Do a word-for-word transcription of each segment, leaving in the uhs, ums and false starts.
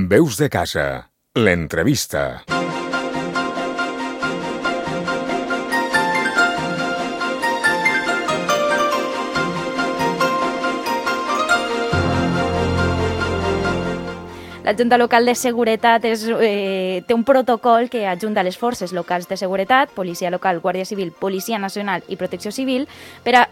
Veus de casa, l'entrevista. La Junta Local de Seguretat és, eh, té un protocol que ajunta les forces locals de seguretat, Policia Local, Guàrdia Civil, Policia Nacional i Protecció Civil, per a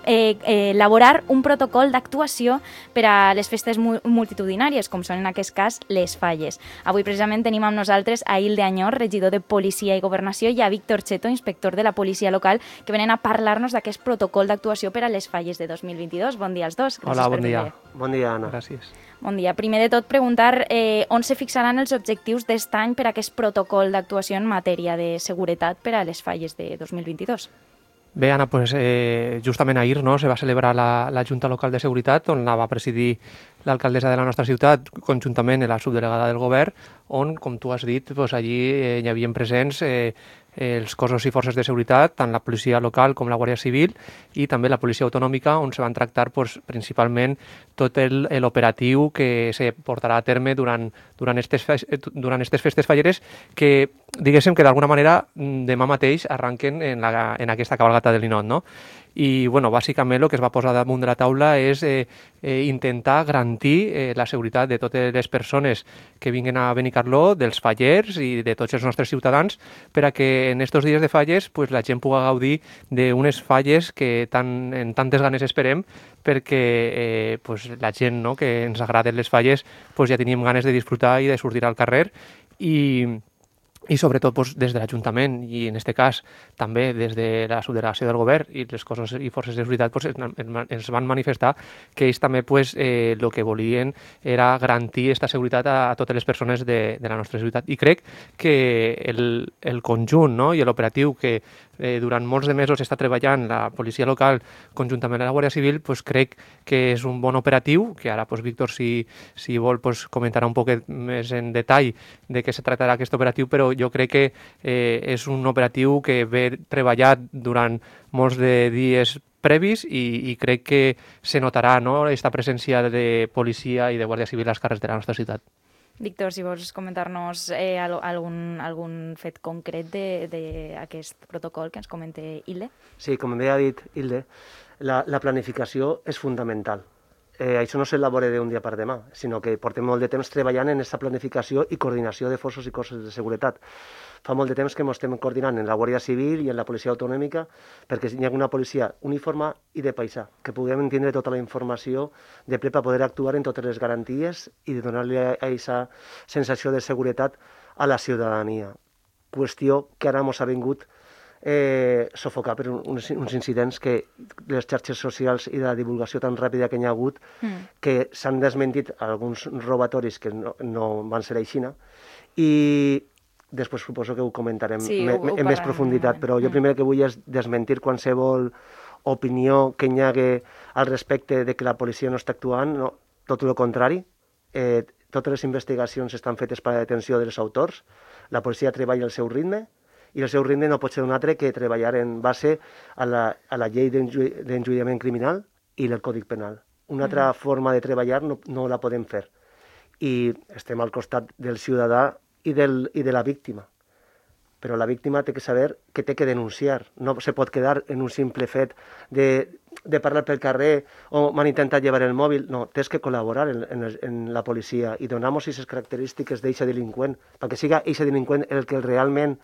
eh, eh, elaborar un protocol d'actuació per a les festes mu multitudinàries, com són en aquest cas les falles. Avui precisament tenim amb nosaltres a Hilde Añor, regidor de Policia i Governació, i a Víctor Cheto, inspector de la Policia Local, que venen a parlar-nos d'aquest protocol d'actuació per a les falles de dos mil vint-i-dos. Bon dia als dos. Gràcies. Hola, bon dia. Bon dia, Anna. Gràcies. Bon dia. Primer de tot, preguntar eh, on se fixaran els objectius d'est any per a aquest protocol d'actuació en matèria de seguretat per a les falles de dos mil vint-i-dos. Bé, Anna, pues, eh, justament ahir no, se va celebrar la, la Junta Local de Seguretat, on la va presidir l'alcaldessa de la nostra ciutat, conjuntament amb la subdelegada del govern, on, com tu has dit, pues, allí eh, hi havien presents eh, els cossos i forces de seguretat, tant la policia local com la Guàrdia Civil i també la policia autonòmica, on se van tractar pues, principalment tot l'operatiu que se portarà a terme durant, durant, estes, durant estes festes falleres que, diguéssim que d'alguna manera demà mateix arranquen en, la, en aquesta cabalgata de Linot, no? I, bueno, bàsicament el que es va posar damunt de la taula és eh, eh, intentar garantir eh, la seguretat de totes les persones que vinguen a Benicarló, dels fallers i de tots els nostres ciutadans, per a que en estos dies de falles pues, la gent pugui gaudir d'unes falles que tan, en tantes ganes esperem, perquè eh, pues, la gent no, que ens agraden les falles pues, ja teníem ganes de disfrutar i de sortir al carrer i... i sobretot doncs, des de l'Ajuntament i en aquest cas també des de la subdelegació del govern i les cossos i forces de seguretat doncs, ens van manifestar que ells també pues, eh, el que volien era garantir aquesta seguretat a, a totes les persones de, de la nostra ciutat. I crec que el, el conjunt no, i l'operatiu que eh, durant molts de mesos està treballant la policia local conjuntament amb la Guàrdia Civil, pues, crec que és un bon operatiu, que ara pues, Víctor, si, si vol, pues, comentarà un poc més en detall de què se tractarà aquest operatiu, però jo crec que eh, és un operatiu que ve treballat durant molts de dies previs i, i crec que se notarà no, aquesta presència de policia i de Guàrdia Civil als carrers de la nostra ciutat. Víctor, si vols comentar-nos eh, algun, algun fet concret d'aquest protocol que ens comente Hilde. Sí, com bé ha dit Hilde, la, la planificació és fundamental. Eh, això no s'elabora d'un dia per demà, sinó que portem molt de temps treballant en aquesta planificació i coordinació de forces i cossos de seguretat. Fa molt de temps que ens estem coordinant en la Guàrdia Civil i en la policia autonòmica perquè hi ha una policia uniforme i de paisà, que puguem entendre tota la informació de ple per poder actuar en totes les garanties i de donar-li aquesta sensació de seguretat a la ciutadania. Qüestió que ara ens ha vingut Eh, sofocar per uns, uns incidents que les xarxes socials i de la divulgació tan ràpida que hi ha hagut mm. que s'han desmentit alguns robatoris que no, no van ser així i després suposo que ho comentarem sí, me, ho, ho en més profunditat, però jo primer que vull és desmentir qualsevol opinió que hi hagi al respecte de que la policia no està actuant, no, tot el contrari. Eh, totes les investigacions estan fetes per a la detenció dels autors, la policia treballa al seu ritme i el seu ritme no pot ser un altre que treballar en base a la, a la llei d'enjudiciament criminal i el Còdic Penal. Una altra mm. forma de treballar no, no la podem fer. I estem al costat del ciutadà i, del, i de la víctima. Però la víctima té que saber que té que denunciar. No se pot quedar en un simple fet de, de parlar pel carrer o m'han intentat llevar el mòbil. No, tens que col·laborar en, en, en la policia i donar-nos aquestes característiques d'aquest delinqüent, perquè siga aquest delinqüent el que realment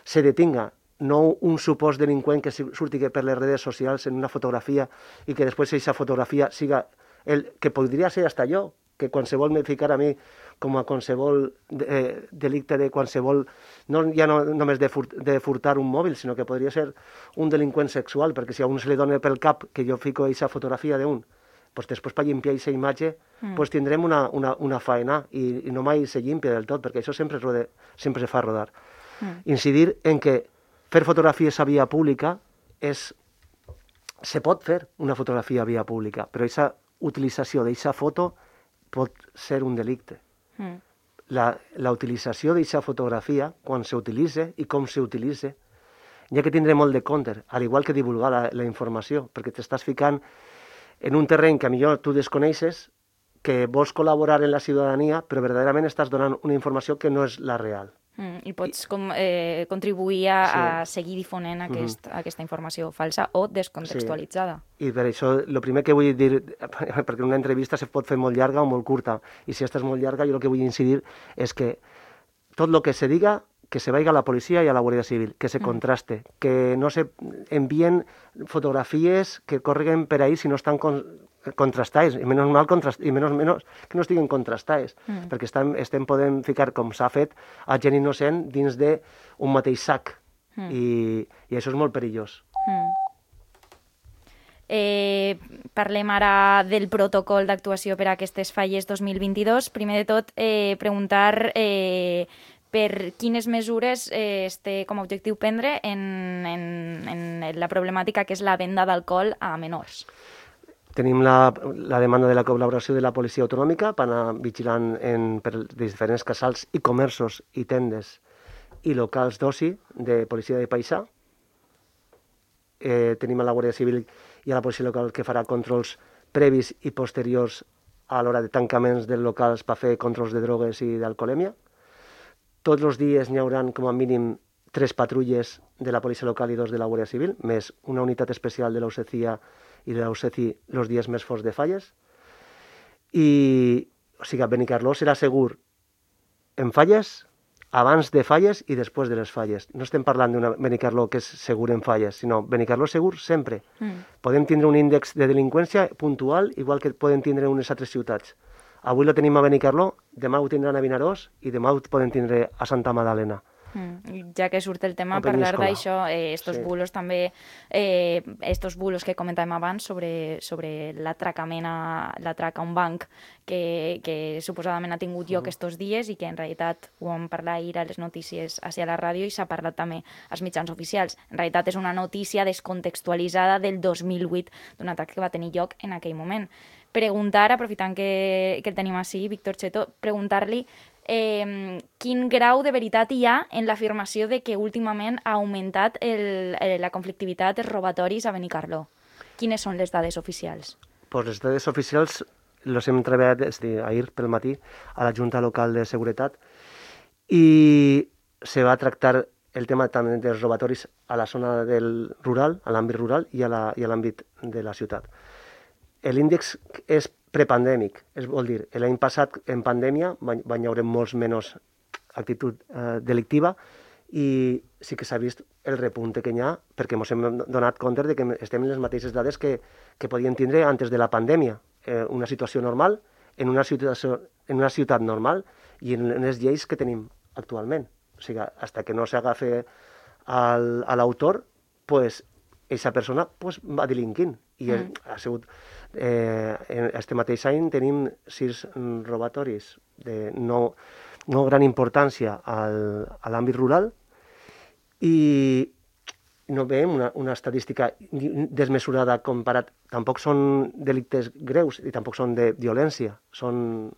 se detinga, no un supòs delinqüent que surti per les redes socials en una fotografia i que després aquesta fotografia siga el que podria ser hasta jo, que qualsevol me ficar a mi com a qualsevol eh, delicte de qualsevol, no ja no només de, furt, de furtar un mòbil, sinó que podria ser un delinqüent sexual, perquè si a un se li dona pel cap que jo fico aquesta fotografia d'un, pues després per llimpiar aquesta imatge mm. pues tindrem una, una, una faena i, i no mai se llimpia del tot, perquè això sempre, rode, sempre se fa rodar. Mm. Incidir en que fer fotografies a via pública és... se pot fer una fotografia a via pública, però aquesta utilització d'aquesta foto pot ser un delicte. Mm. La, la utilització d'aquesta fotografia, quan s'utilitza i com s'utilitza, hi ha que tindre molt de compte, al igual que divulgar la, la informació, perquè t'estàs ficant en un terreny que millor tu desconeixes, que vols col·laborar en la ciutadania, però verdaderament estàs donant una informació que no és la real. Mm, I pots com, eh, contribuir a, Sí. a seguir difonent aquest, mm -hmm. aquesta informació falsa o descontextualitzada. Sí. I per això, el primer que vull dir, perquè una entrevista se pot fer molt llarga o molt curta, i si esta és molt llarga, jo el que vull incidir és que tot el que se diga, que se vaya a la policia i a la Guàrdia Civil, que se contraste, mm. que no se envien fotografies que correguen per ahí si no estan con, contrastades, i menys mal contrast, i menys, menys que no estiguen contrastades, mm. perquè estem, estem podem ficar, com s'ha fet, a gent innocent dins d'un mateix sac, mm. i, i això és molt perillós. Mm. Eh, parlem ara del protocol d'actuació per a aquestes falles dos mil vint-i-dos. Primer de tot, eh, preguntar eh, per quines mesures eh, es té com a objectiu prendre en, en, en la problemàtica que és la venda d'alcohol a menors. Tenim la, la demanda de la col·laboració de la policia autonòmica per anar vigilant en, per diferents casals i comerços i tendes i locals d'oci de policia de paisà. Eh, tenim a la Guàrdia Civil i a la policia local que farà controls previs i posteriors a l'hora de tancaments dels locals per fer controls de drogues i d'alcoholèmia. Tots els dies n'hi haurà com a mínim tres patrulles de la policia local i dos de la Guàrdia Civil, més una unitat especial de l'Ausecia i de l'Auceci els dies més forts de falles. I, o sigui, Benicarló serà segur en falles, abans de falles i després de les falles. No estem parlant d'una Benicarló que és segur en falles, sinó Benicarló segur sempre. Mm. Podem tindre un índex de delinqüència puntual, igual que podem tindre en unes altres ciutats. Avui lo tenim a Benicarló, demà ho tindran a Vinaròs i demà ho podem tindre a Santa Magdalena. Mm. Ja que surt el tema, parlar d'això, eh, estos sí. bulos també, eh, estos bulos que comentàvem abans sobre, sobre l'atracament a, l'atrac a un banc que, que suposadament ha tingut lloc uh -huh. estos dies i que en realitat ho vam parlar ahir a les notícies hacia la ràdio i s'ha parlat també als mitjans oficials. En realitat és una notícia descontextualitzada del dos mil vuit d'un atac que va tenir lloc en aquell moment. Preguntar, aprofitant que, que el tenim així, Víctor Cheto, preguntar-li Eh, quin grau de veritat hi ha en l'afirmació de que últimament ha augmentat el, el, la conflictivitat, els robatoris a Benicarló. Quines són les dades oficials? Pues les dades oficials les hem treballat des d'ahir pel matí a la Junta Local de Seguretat i se va tractar el tema també dels robatoris a la zona del rural, a l'àmbit rural i a l'àmbit de la ciutat. L'índex és prepandèmic, és vol dir, l'any passat en pandèmia van haver molts menys actitud eh, delictiva i sí que s'ha vist el repunte que hi ha perquè ens hem donat compte de que estem en les mateixes dades que, que podien tindre antes de la pandèmia. Eh, una situació normal, en una, situació, en una ciutat normal i en les lleis que tenim actualment. O sigui, fins que no s'agafa al, a l'autor, pues, aquesta persona pues, va delinquint i mm. ha sigut... Eh, en este mateix any tenim sis robatoris de no, no gran importància al, a l'àmbit rural i no veiem una, una estadística desmesurada comparat. Tampoc són delictes greus i tampoc són de violència. Són,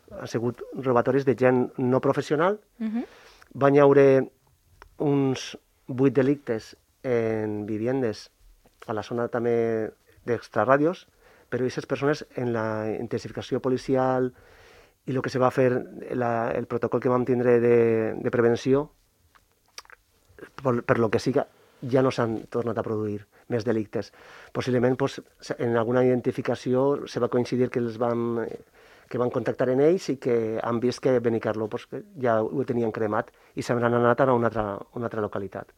han sigut robatoris de gent no professional. Mm-hmm. Van haure uns vuit delictes en viviendes a la zona també d'extrarradios, però aquestes persones en la intensificació policial i el que se va fer, la, el protocol que vam tindre de, de prevenció, per, per lo que siga, ja no s'han tornat a produir més delictes. Possiblement pues, en alguna identificació se va coincidir que els vam, que van contactar en ells i que han vist que Benicarló pues, que ja ho tenien cremat i s'han anat a una altra, una altra localitat.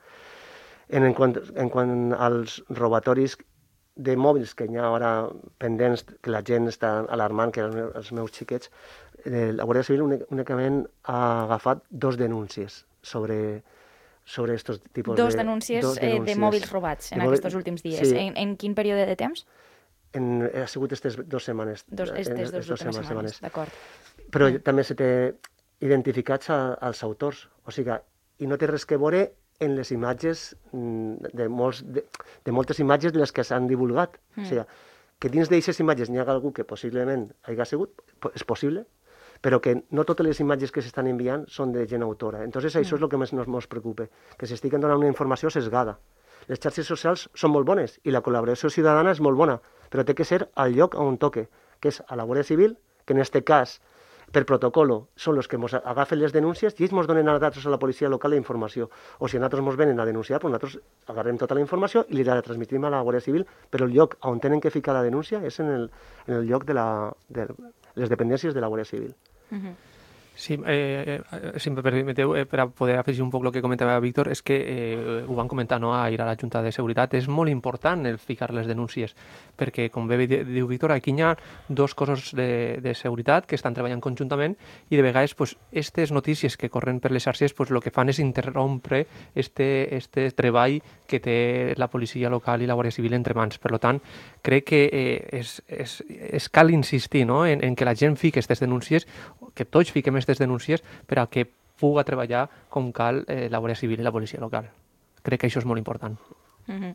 En, en, quant, en quant als robatoris de mòbils que hi ha ara pendents, que la gent està alarmant, que els meus xiquets, eh, la Guàrdia Civil únicament ha agafat dos denúncies sobre sobre estos tipus dos de... denúncies, dos denúncies eh, de mòbils robats en de aquests últims dies. Sí. En, en quin període de temps? En, ha sigut aquestes dues setmanes. Dos, estes dos, dos últimes setmanes, d'acord. Però mm. també se té identificats a, als autors, o sigui, i no té res que veure en les imatges, de, molts, de, de moltes imatges de les que s'han divulgat. Mm. O sigui, que dins d'aquestes imatges n'hi ha algú que possiblement hagi sigut, és possible, però que no totes les imatges que s'estan enviant són de gent autora. Entonces això mm. és el que més ens, ens preocupa, que s'estiguen donant una informació sesgada. Les xarxes socials són molt bones i la col·laboració ciutadana és molt bona, però té que ser al lloc on toque, que és a la Guàrdia Civil que en este cas, per protocolo, són els que ens agafen les denúncies i ells ens donen a nosaltres a la policia local la informació. O si a nosaltres ens venen a denunciar, doncs nosaltres agarrem tota la informació i li la transmitim a la Guàrdia Civil, però el lloc on tenen que ficar la denúncia és en el, en el lloc de, la, de les dependències de la Guàrdia Civil. Uh-huh. Sí, eh, eh, si em permeteu, eh, per a poder afegir un poc el que comentava Víctor, és que eh, ho van comentar, no, a ir a la Junta de Seguretat, és molt important el ficar les denúncies, perquè, com bé diu Víctor, aquí hi ha dos cossos de, de seguretat que estan treballant conjuntament i de vegades pues, aquestes notícies que corren per les xarxes pues, el que fan és interrompre este, este treball que té la policia local i la Guàrdia Civil entre mans. Per tant, crec que eh, és, és, és cal insistir, no?, en, en que la gent fique aquestes denúncies, que tots fiquem aquestes denúncies per a que puga treballar com cal eh, la Guàrdia Civil i la policia local. Crec que això és molt important. Uh-huh.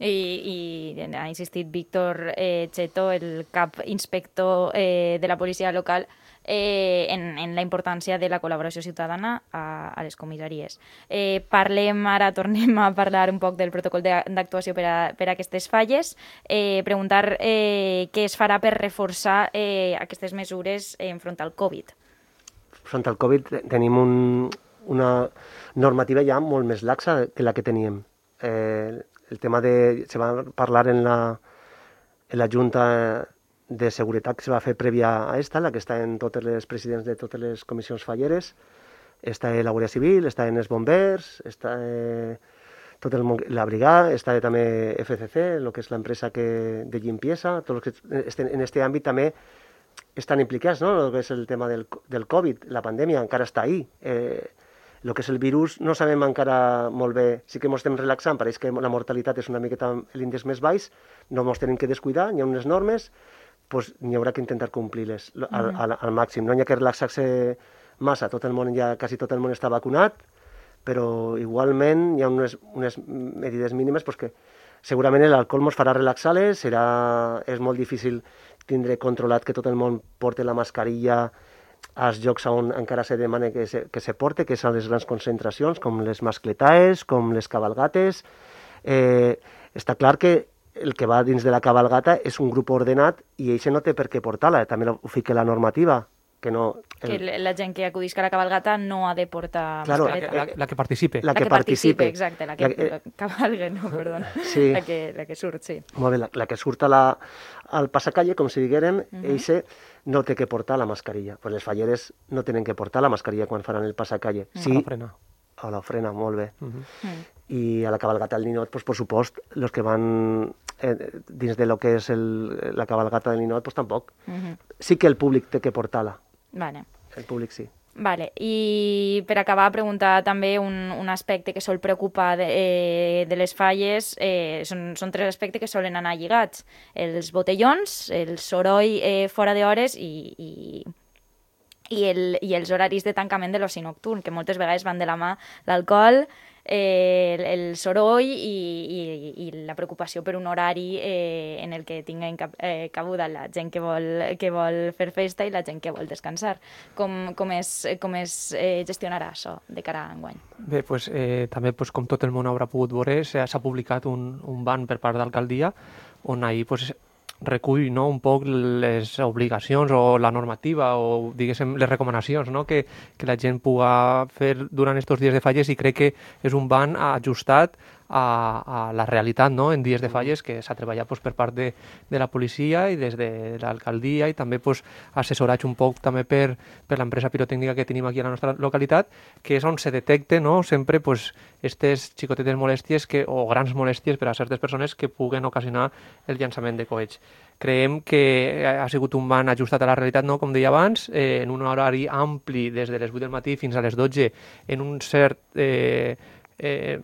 I, i ha insistit Víctor eh, Cheto, el cap inspector eh, de la policia local, eh, en, en la importància de la col·laboració ciutadana a, a les comissaries. Eh, parlem ara, tornem a parlar un poc del protocol d'actuació per a, per a aquestes falles, eh, preguntar eh, què es farà per reforçar eh, aquestes mesures enfront al Covid. Front al Covid tenim un, una normativa ja molt més laxa que la que teníem. Eh, el tema de... se va parlar en la, en la Junta de Seguretat que se va fer prèvia a esta, la que està en totes les presidents de totes les comissions falleres. Està la Guàrdia Civil, està en els bombers, està eh, tot el món, la brigada, està també F C C, el que és l'empresa que, de limpieza, tots els que estan en aquest àmbit també estan implicats, no? El que és el tema del, del Covid, la pandèmia encara està ahí. Eh, el que és el virus no sabem encara molt bé, sí que ens estem relaxant, pareix que la mortalitat és una miqueta l'índex més baix, no ens tenim que descuidar, hi ha unes normes, doncs n'hi haurà que intentar complir-les al, al, al màxim. No hi ha que relaxar-se massa, tot el món, ja quasi tot el món està vacunat, però igualment hi ha unes, unes medides mínimes doncs que segurament l'alcohol ens farà relaxar-les, serà, és molt difícil tindre controlat que tot el món porti la mascarilla als llocs on encara se demana que se, que se porte, que són les grans concentracions, com les mascletaes, com les cabalgates. Eh, està clar que el que va dins de la cabalgata és un grup ordenat i ell no té per què portar-la, també ho fica la normativa. Que, no, el... que la gent que acudisca a la cabalgata no ha de portar claro, mascareta. La, la, la que participe. La, la que, que participe. participe, exacte, la que, la que... La cabalga, no, perdona. Sí. La, que, la que surt, sí. Molt bé, la, la que surt a la, al passacalle, com si diguérem, uh -huh. eixe no té que portar la mascarilla. Pues les falleres no tenen que portar la mascarilla quan faran el passacalle. Uh -huh. Sí, a l'ofrena. A l'ofrena, molt bé. Uh -huh. Uh -huh. I a la cabalgata del ninot, pues, por supost, los que van eh, dins de lo que és el, la cabalgata del ninot, pues tampoc. Uh -huh. Sí que el públic té que portar-la. Vale. El públic sí. Vale. I per acabar, preguntar també un, un aspecte que sol preocupar de, eh, de les falles. Eh, són, són tres aspectes que solen anar lligats. Els botellons, el soroll eh, fora d'hores i, i, i, el, i els horaris de tancament de l'oci nocturn, que moltes vegades van de la mà l'alcohol, eh, el, el soroll i, i, i la preocupació per un horari eh, en el que tinguen cap, eh, cabuda la gent que vol, que vol fer festa i la gent que vol descansar. Com, com es, com es eh, gestionarà això de cara a enguany? Bé, pues, eh, també pues, com tot el món haurà pogut veure, s'ha publicat un, un ban per part d'alcaldia on ahir pues, recull, no, un poc les obligacions o la normativa o diguéssim les recomanacions, no, que, que la gent puga fer durant aquests dies de falles, i crec que és un ban ajustat a, a la realitat, no, en dies de falles, que s'ha treballat pues, per part de, de la policia i des de l'alcaldia, i també pues, assessorat un poc també per, per l'empresa pirotècnica que tenim aquí a la nostra localitat, que és on se detecte, no, sempre pues, aquestes xicotetes molèsties que, o grans molèsties per a certes persones que puguen ocasionar el llançament de coets. Creiem que ha sigut un ban ajustat a la realitat, no, com deia abans, eh, en un horari ampli des de les vuit del matí fins a les dotze, en un cert... Eh, Eh,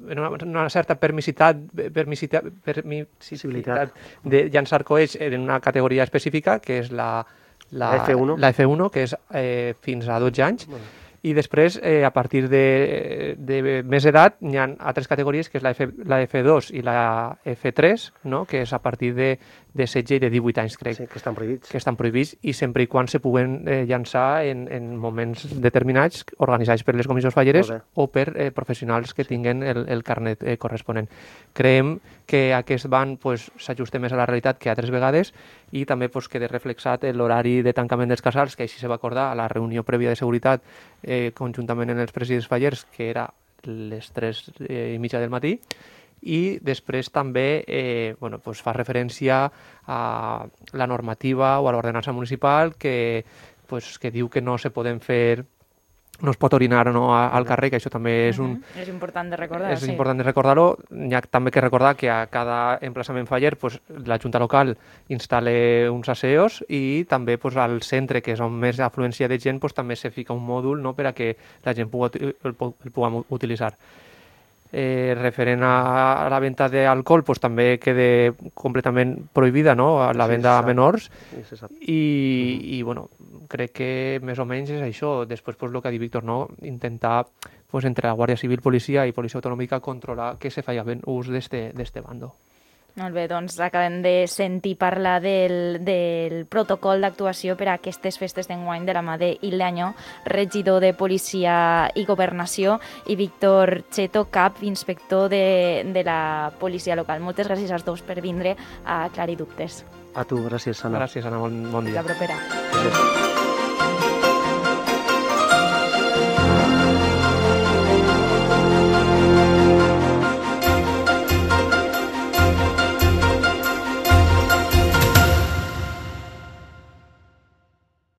en una, una certa permissitat, permissitat, permissibilitat de llançar coets en una categoria específica, que és la, la, la F uno, la F uno, que és eh, fins a dotze anys. Bueno. I després, eh, a partir de, de més edat, hi ha altres categories, que és la, F, la F dos i la F tres, no? Que és a partir de, de setze i de divuit anys, crec. Sí, que estan prohibits. Que estan prohibits i sempre i quan se puguen eh, llançar en, en moments determinats, organitzats per les comissions falleres o per eh, professionals que tinguen el, el carnet eh, corresponent. Creiem que aquest ban pues, s'ajusta més a la realitat que altres vegades i també pues, queda reflexat l'horari de tancament dels casals, que així se va acordar a la reunió prèvia de seguretat eh, conjuntament en els presidents fallers, que era les tres i mitja del matí, i després també eh, bueno, pues fa referència a la normativa o a l'ordenança municipal que, pues, que diu que no se poden fer no es pot orinar no, al carrer, que això també és un... Uh-huh. És important de recordar, és sí. important de recordar-ho. Hi ha també que recordar que a cada emplaçament faller pues, la Junta Local instal·la uns aseos i també pues, al centre, que és on més afluència de gent, pues, també se fica un mòdul no, per a que la gent pugui, el, el puguem utilitzar. Eh, referent a la venda d'alcohol, pues, també queda completament prohibida no? La venda sí, a menors sí, i, i bueno, crec que més o menys és això. Després, pues, el que ha dit Víctor, no? Intentar pues, entre la Guàrdia Civil, Policia i Policia Autonòmica controlar que se faci ben ús d'este bando. Molt bé, doncs acabem de sentir parlar del, del protocol d'actuació per a aquestes festes d'enguany de la mà d'Ileaño, regidor de Policia i Governació, i Víctor Cheto, cap inspector de, de la policia local. Moltes gràcies als dos per vindre a aclarir dubtes. A tu, gràcies, Anna. Gràcies, Anna, bon, bon dia. La propera. Gràcies.